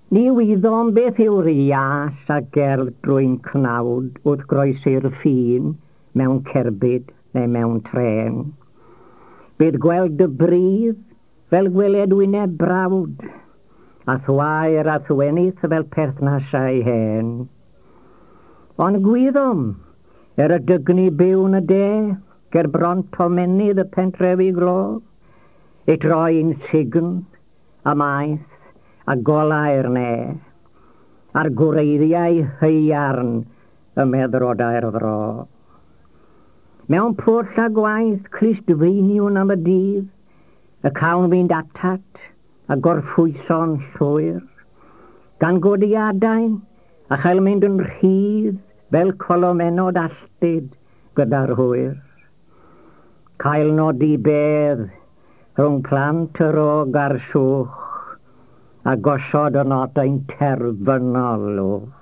Ni wyddom beth yw'r ias a gerdd drwy'n cnawd wrth groesi'r ffin mewn cerbyd neu mewn trên. Bydd gweld y bridd fel gweled wyneb brawd, a thwair a thwenith fel perthnasau hen. Ond gwyddom, er y dygni byw'n y de, ger bron tomennydd y pentrefi glo, i troi'n sign a maeth a golau'r ne, a'r gwreiddiau haearn y meddrodau'r fro. Mewn pwll a gwaith clustfeiniwn am y dydd, y cawn fynd atat a gorffwyso'n llwyr, gan godi adain a chael mynd yn rhydd fel colomenod alltud gyda'r hwyr. Cael nodi bedd rhwng plant yr og a'r llwch, a gosod y nodau'n terfynol lwch.